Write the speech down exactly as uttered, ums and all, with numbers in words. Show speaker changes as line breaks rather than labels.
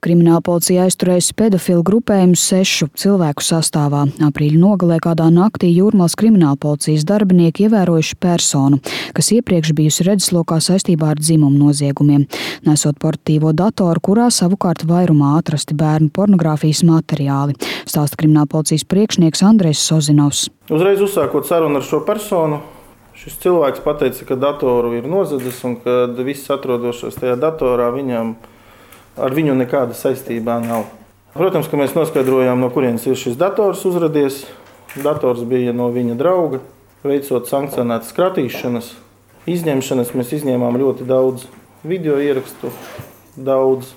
Kriminālpolicija aizturējusi pedofilu grupējumu sešu cilvēku sastāvā. Aprīļa nogalē kādā naktī Jūrmalas kriminālpolicijas darbinieki ievērojuši personu, kas iepriekš bijusi redzeslokā saistībā ar dzimumu noziegumiem, nesot portatīvo datoru, kurā savukārt vairumā atrasti bērnu pornogrāfijas materiāli, stāsta kriminālpolicijas priekšnieks Andrejs Sozinovs.
Uzreiz uzsākot sarunu ar šo personu, šis cilvēks pateica, ka datoru ir nozadzis un ka viss atrodošais tajā datorā viņam ar viņu nekāda saistībā nav. Protams, ka mēs noskaidrojām, no kurienes ir šis dators uzradies. Dators bija no viņa drauga. Veicot sankcionētas kratīšanas, izņemšanas, mēs izņēmām ļoti daudz video ierakstu, daudz